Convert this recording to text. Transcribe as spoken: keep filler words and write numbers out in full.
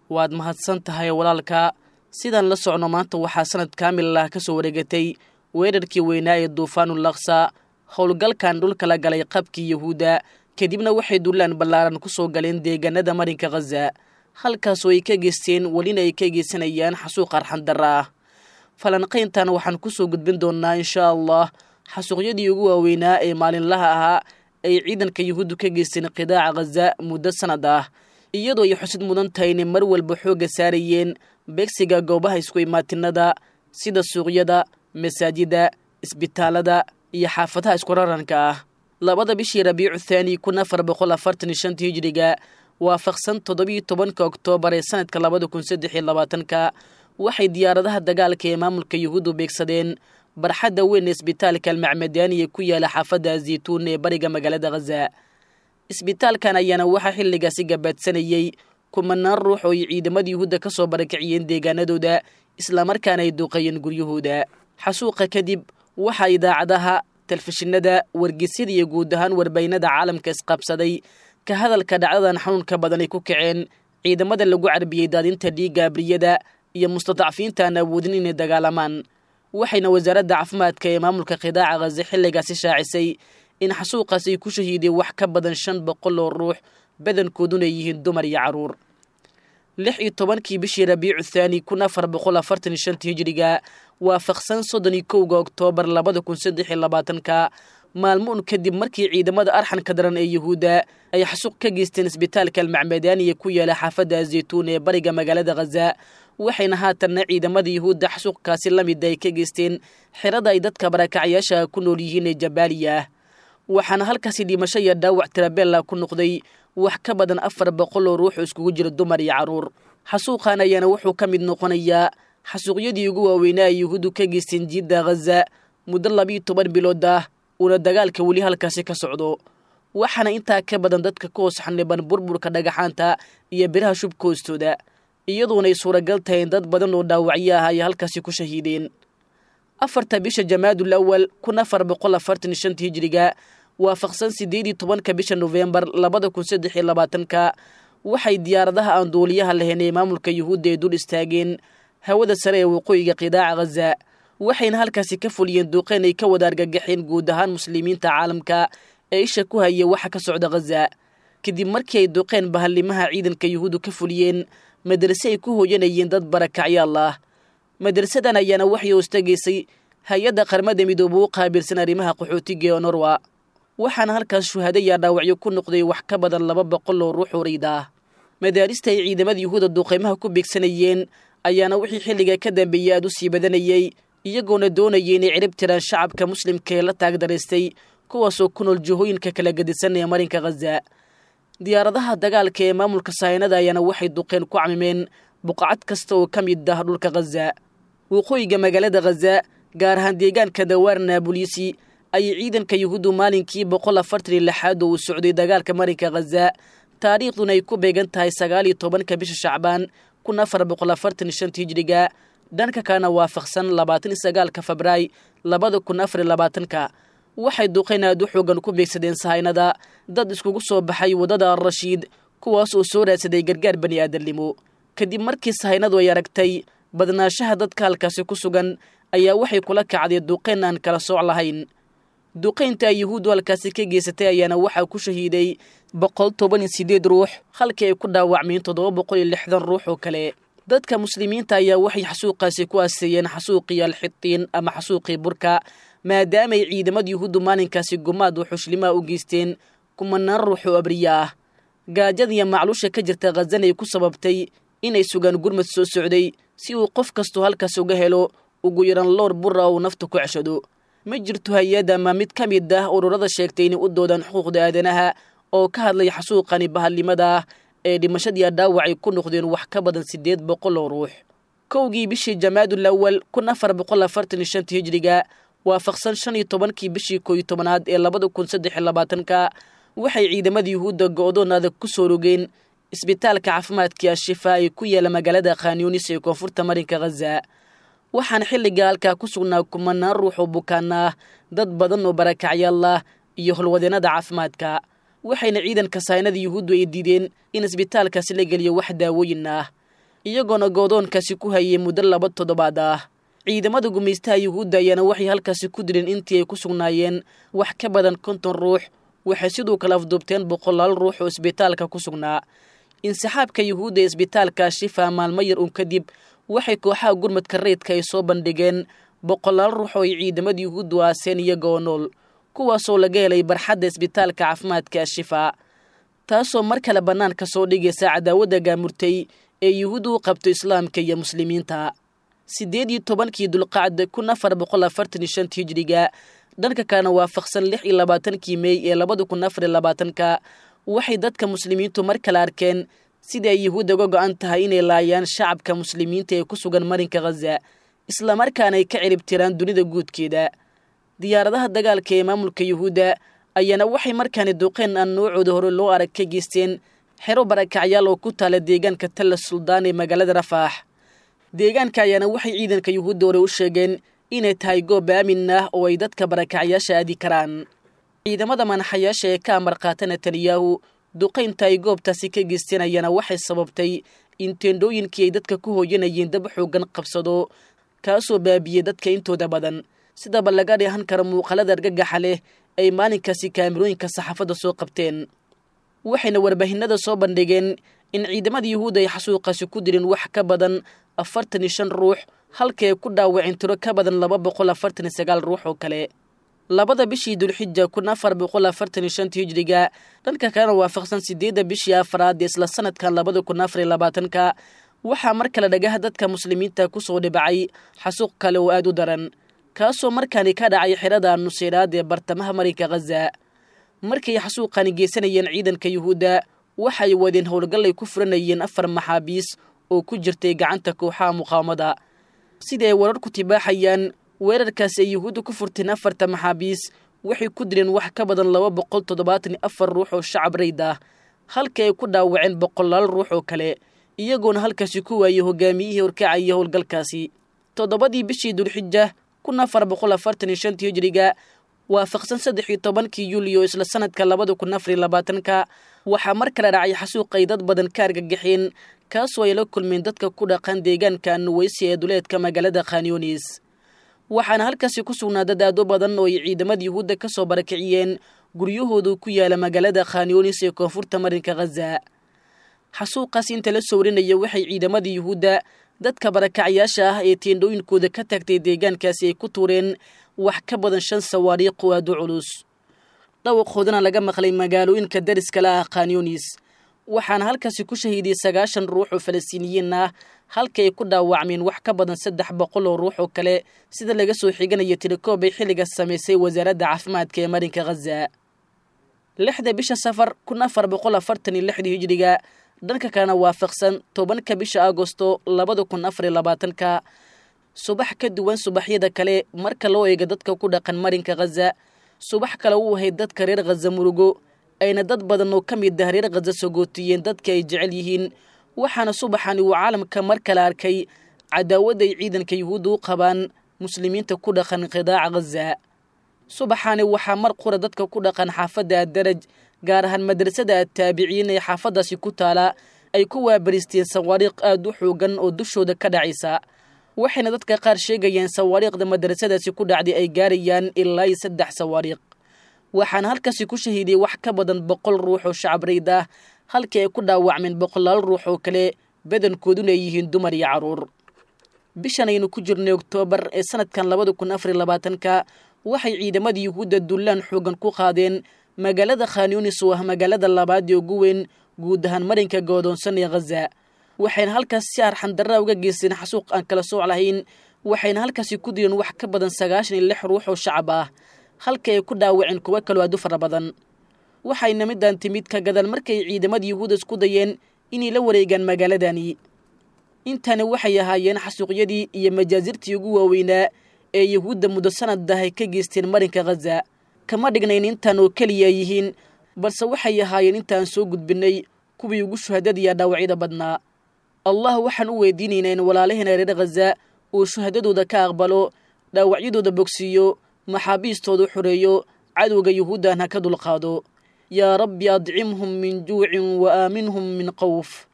Waad mahadsan tahay walaalka. Sidaan la socno, maanta waxaa sanad kaamil ah ka soo wareegatay weerarkii weynaa ee duufaanul Laksa, howlgalkan dhulka la galay qabkii Yahuudda, kadibna waxay duulaan ballaaran ku soo galeen deegaanada marinka Khaza, halkaasoo ay ka geysteen welina ay ka geysanayaan xasuuq arxandarra ah. Falanqayntan waxaan kusoo gudbin doonnaa, insha Allah, xasuuqyadii ugu waaweynaa ee maalinlaha ahaa ay ciidanka Yuhuuddu ka geysteen qidaaca Khaza muddo sanad ah, iyadoo ay xusid mudan tahay inay mar walba xoogga saarayeen beegsiga goobaha isku imaatinada sida suuqyada, masaajida, isbitaalada iyo xaafadaha iskuraranka ah. Labada bishii Rabiicu Thaani kun afar boqol afartan iyo shanta hijriga, waafaqsan toddobiyo tobanka Oktoobar ee sanadka labada kun saddex iyo labaatanka, waxay diyaaradaha dagaalka ee maamulka Yuhuuddu beegsadeen barxadda weyn ee isbitaalka Almacmadaani ee ku yaala xaafadda Azaytuun ee bariga magaalada Khaza. Isbitaalkan ayaana waxaa xilligaasi gabaadsanayey kumanaan ruux oo ay ciidamada Yuhuudda ka soo barakiciyeen deegaanadooda, islamarkaana ay duuqeeyeen guryahooda. Xasuuqa kadib waxaa idaacadaha, telefishinada, wargeysyada iyo guud ahaan warbaynada caalamka isqabsaday ka hadalka dhacdadan xanuunka badan ay ku kaceen ciidamada lagu carbiyey daadinta dhiigga abriyada iyo mustadacfiinta aan awoodin inay dagaalamaan. Waxayna wasaaradda caafimaadka ee maamulka qidaaca Khaza xilligaasi shaacisay in xasuuqaas ay ku shahiideen wax ka badan shan boqol oo ruux, badankooduna ay yihiin dumar iyo carruur. Lix iyo tobankii bishii Rabiicu Thaani kun afar boqol afartan iyo shanta hijriga, waafaqsan soddon iyo kowga Oktoobar labada kun saddex iyo labaatanka, maalmo un kadib markii ciidamada arxanka daran ee Yuhuudda ay xasuuq ka geysteen isbitaalka Almacmadaaniya ku yaala xaafadda Azaytuun ee bariga magaalada Khaza, waxayna haatanna ciidamada Yuhuudda xasuuqkaasi la mid ay ka geysteen xerada ay dadka barakacyaasha ku nool yihiin ee Jabaaliya ah, waxaana halkaasi dhimasho iyo dhaawac tirabella ku noqday wax ka badan afar boqol oo ruux iskugu jira dumar iyo carruur. Xasuuqan ayaana wuxuu ka mid noqonayaa xasuuqyadii ugu waaweynaa ay Yuhuuddu ka geysteen jiidda Khaza muddo labiiyo toban bilood ah uuna dagaalka weli halkaasi ka socdo, waxaana intaa ka badan dadka ku hoos xaniban burburka dhagaxaanta iyo biraha shubka hoostooda, iyadoonay suuragal tahay in dad badan oo dhaawacyo ah ay halkaasi ku shahiideen. Afarta bisha Jamaadul Awal kun afar boqol afartan iyo shanta hijriga, waafaqsan siddeed iyo tobanka bisha Nofembar labada kun saddex iyo labaatanka, waxay diyaaradaha aan duuliyaha lahayn ee maamulka Yuhuudda ay dul istaageen hawada sare ee waqooyiga qidaaca Khaza, waxayna halkaasi ka fuliyeen duqeyn ay ka wada argagaxeen guud ahaan muslimiinta caalamka ee isha ku haya waxa ka socda Khaza, kadib markii ay duqeen bahallimaha ciidanka Yuhuuddu ka fuliyeen madrase ay ku hooyanayeen dad barakacyaal ah. Madrasadan ayaana waxay hoostageysay hay-adda Qaramada Midoobe u qaabilsan arrimaha qaxootiga ee UNRWA, waxaana halkaas shuhada yaa dhaawacyo ku noqday wax ka badan laba boqol oo ruux oo ah. Madaarista ay ciidamada Yuhuudda duqeymaha ku beegsanayeen ayaana wixii xilliga ka dambeeyey aad u sii badanayey, iyagoona doonayay inay cirib tiraan shacabka muslimka ee la taagdaraystay, kuwaasoo ku nool jihooyinka kala gedisan ee marinka Khaza. Diyaaradaha dagaalka ee maamulka sahaynada ayaana waxay duqeen ku camimeen buqacad kasta oo ka mid ah dhulka Khaza. Waqooyiga magaalada Khaza, gaar ahaan deegaanka Dawaar Naabuliisi, ayay ciidanka Yuhuuddu maalinkii boqol afartan iyo lixaad oo uu socday dagaalka marinka Khaza, taariikhduna ay ku beegan tahay sagaal iyo tobanka bisha Shacbaan kun afar boqol afartan iyo shanta hijriga, dhanka kalena waafaqsan labaatan iyo sagaalka Febraay labada kun afar iyo labaatanka, waxay duqeyn aad u xoogan ku beegsadeen sahaynada dad iskugu soo baxay waddada Al-Rashiid, kuwaas oo soo raadsaday gargaar bani aadamnimo. Kadib markii sahaynadu ay aragtay badnaanshaha dadka halkaasi ku sugan, ayaa waxay kula kacday duqeyn aan kala sooc lahayn. Duqaynta ay Yuhuuddu halkaasi ka geysatay ayaana waxaa ku shahiiday boqol toban iyo sideed ruux, halkii ay ku dhaawacmeen toddoba boqol iyo lixdan ruux oo kale. Dadka muslimiinta ayaa waxay xasuuqaasi ku aseeyeen xasuuqii Alxitiin ama xasuuqii burka, maadaamaay ciidamada Yuhuuddu maalinkaasi gumaad oo xushlimaha u geysteen kumanaan ruux oo abriya ah, gaajada iyo macluusha ka jirta Khazan ay ku sababtay inay sugaan gurmad soo socday si uu qof kastoo halkaas uga helo ugu yaran loor bura uu nafta ku ceshado. Ma jirto hay-ad ama mid ka mid ah ururada sheegtay inay u doodaan xuquuqda aadanaha oo ka hadlay xasuuqani bahallimada ah ee dhimashadii dhaawacay ku noqdeen wax ka badan siddeed boqol oo ruux. Kowgii bishii Jamaadul Awal kun afar boqol afartan iyo shanta hijriga, waafaqsan shan iyo tobankii bishii koo iyo tobanaad ee labada kun saddex iyo labaatanka, waxay ciidamada Yuhuudda go'doon adag ku soo rogeen isbitaalka caafimaadkii Ashifa ee ku yaala magaalada Khanyunis ee koonfurta marinka Khaza, waxaana xilliga halkaa ku sugnaa kumanaan ruux oo bukaana ah, dad badan oo barakacyaal ah iyo holwadeennada caafimaadka, waxayna ciidanka saynada Yuhuuddu ay diideen in isbitaalkaasi la geliyo wax daawooyin ah. iyagoona goodoonkaasi ku hayay muddo laba toddobaad ah. Ciidamada gumaystaha yuhuudda ayaana waxay halkaasi ku dileen intii ay ku sugnaayeen wax ka badan konton ruux. Waxay sidoo kale afduubteen boqolaal ruux oo isbitaalka ku sugnaa. Insixaabka yuhuudda ee isbitaalka Shifa maalmo yar uun kadib waxay kooxaha gurmadka rayidka ay soo bandhigeen boqolaal ruux oo ay ciidamada yuhuuddu aaseen iyagoo nool, kuwaasoo laga helay barxadda isbitaalka caafimaadka Shifa, taasoo mar kale bannaanka soo dhigaysa cadaawadda gaamurtay ee yuhuuddu u qabto islaamka iyo muslimiinta. Siddeed iyo tobankii Dulqacda kun afar boqol afartan iyo shanta hijriga, dhanka kalena waafaqsan lix iyo labaatankii Mey ee labada kun afar iyo labaatanka, waxay dadka muslimiintu mar kale arkeen sida ay yuhuudda uga go'an tahay inay laayaan shacabka muslimiinta ee ku sugan marinka Khaza, islamarkaana ay ka ciribtiraan dunida guudkeeda. Diyaaradaha dagaalka ee maamulka yuhuudda ayaana waxay markaani duqeen aan noocooda hore loo arag ka geysteen xero barakacyaal oo ku taala deegaanka Talla Suldaan ee magaalada Rafaax. Deegaanka ayaana waxay ciidanka yuhuudda hore u sheegeen inay tahay goob aamin ah oo ay dadka barakacyaasha aadi karaan. Ciidamada manaxayaasha ee ka amar qaata Netanyahu duqaynta ay goobtaasi ka geysteen ayaana waxay sababtay in teendhooyinkii ay dadka ku hooyanayeen dab xooggan qabsado, kaasoo baabiyey dadka intooda badan, sidaba laga dheehan karo muuqaalada argagaxa leh ay maalinkaasi kaamirooyinka saxaafadda soo qabteen. Waxayna warbaahinada soo bandhigeen in ciidamada yuhuudda ay xasuuqaasi ku dileen wax ka badan afartan iyo shan ruux, halka ay ku dhaawaceen tiro ka badan laba boqol afartan iyo sagaal ruux oo kale. Labada bishii Dulxija kun afar boqol afartan iyo shanta hijriga, dhanka kalena waafaqsan sideedda bishii afraad ee isla sanadkan labada kun afar iyo labaatanka, waxaa mar kale dhagaha dadka muslimiinta ku soo dhibacay xasuuq kale oo aad u daran, kaasoo markaani ka dhacay xerada Nuseyraad ee bartamaha marinka Khaza. Markay xasuuqani geysanayeen ciidanka yuhuudda waxay wadeen howlgal ay ku furanayeen afar maxaabiis oo ku jirtay gacanta kooxaha muqaawamada. Sida ay warar ku tibaaxayaan, weerarkaasi ay yuhuudda ku furteen afarta maxaabiis waxay ku dileen wax ka badan laba boqol toddobaatan iyo afar ruux oo shacab rayd ah, halka ay ku dhaawaceen boqolaal ruux oo kale, iyagoona halkaasi ku waayey hogaamiyihii horkacaya howlgalkaasi. Toddobadii bishii Dulxija kun afar boqol afartan iyo shantii hijriga, waafaqsan saddex iyo tobankii Yuliyo isla sanadka labada kun afar iyo labaatanka, waxaa mar kale dhacay xasuuq ay dad badan ka argagaxeen, kaasoo ay la kulmeen dadka ku dhaqan deegaanka Nuweysi ee duleedka magaalada Khanyonis. Waxaana halkaasi ku sugnaa dad aad u badan oo ay ciidamada yuhuudda ka soo barakiciyeen guryahoodu ku yaala magaalada Khanyonis ee koonfurta marinka Khaza. Xasuuqaas inta la soo warinaya waxay ciidamada yuhuudda dadka barakacyaasha ah ee teendhooyinkooda ka tagtay deegaankaasi ay ku tuureen wax ka badan shan sawaariikh oo aad u culus, dhawaqoodana laga maqlay magaalooyinka dariska la ah Khanyonis. Waxaana halkaasi ku shahiiday sagaashan ruux oo Falastiiniyiin ah, halka ay ku dhaawacmeen wax ka badan saddex boqol oo ruux oo kale, sida laga soo xiganayo tilikoob ay xilligaas samaysay wasaaradda caafimaadka ee marinka Khaza. Lixda bisha Safar kun afar boqol afartan iyo lixdii hijriga, dhanka kalena waafaqsan tobanka bisha Agosto labada kun afar iyo labaatanka, subax ka duwan subaxyada kale marka loo eego dadka ku dhaqan marinka Khaza, subax kale u ahayd dadka reer Khaza murugo, ayna dad badan oo ka mid ah reer Khaza sogootiyeen dadka ay jecel yihiin. Waxaana subaxani uu caalamka mar kale arkay cadaawadda ay ciidanka yuhuudda u qabaan muslimiinta ku dhaqan qidaaca Khaza. Subaxani waxaa mar qura dadka ku dhaqan xaafadda Addaraj, gaar ahaan madrasada Attaabiciin ee xaafaddaasi ku taala, ay ku waabaristeen sawaariikh aad u xoogan oo dushooda ka dhacaysa. Waxayna dadka qaar sheegayeen sawaariikhda madrasadaasi ku dhacday ay gaarayaan ilaa iyo saddex sawaariikh. Waxaana halkaasi ku shahiiday wax ka badan boqol ruux oo shacab rayd ah, halkii ay ku dhaawacmeen boqolaal ruux oo kale, badankooduna ay yihiin dumar iyo carruur. Bishan aynu ku jirnay Oktoobar ee sanadkan labada kun afar iyo labaatanka, waxay ciidamada yuhuudda dullaan xoogan ku qaadeen magaalada Khanyonis oo ah magaalada labaad ee ugu weyn guud ahaan marinka goodoonsan ee Khaza. Waxayna halkaas si arxandarra uga geysteen xasuuq aan kala sooc lahayn, waxayna halkaasi ku dileen wax ka badan sagaashan iyo lix ruux oo shacab ah, halka ay ku dhaawaceen kuwo kaloo aad u fara badan. Waxayna midaan timid ka gadaal markay ciidamada yuhuudda isku dayeen inay la wareegaan magaaladani. Intani waxay ahaayeen xasuuqyadii iyo majaasirtii ugu waaweynaa ee yuhuudda muddo sanad ah ay ka geysteen marinka Khaza. Kama dhignayn intaan oo keliya yihiin, balse waxay ahaayeen intaan soo gudbinnay kuwii ugu shuhadadiya dhaawacyada badnaa. Allah waxaan u weydiinaynaa in walaalaheena reer Khaza uu shuhadadooda ka aqbalo, dhaawacyadooda bogsiiyo, maxaabiistooda xoreeyo, cadowga yuhuuddan ha ka dulqaado. Yaa rabbi adcimhum min juucin wa aaminhum min qawf.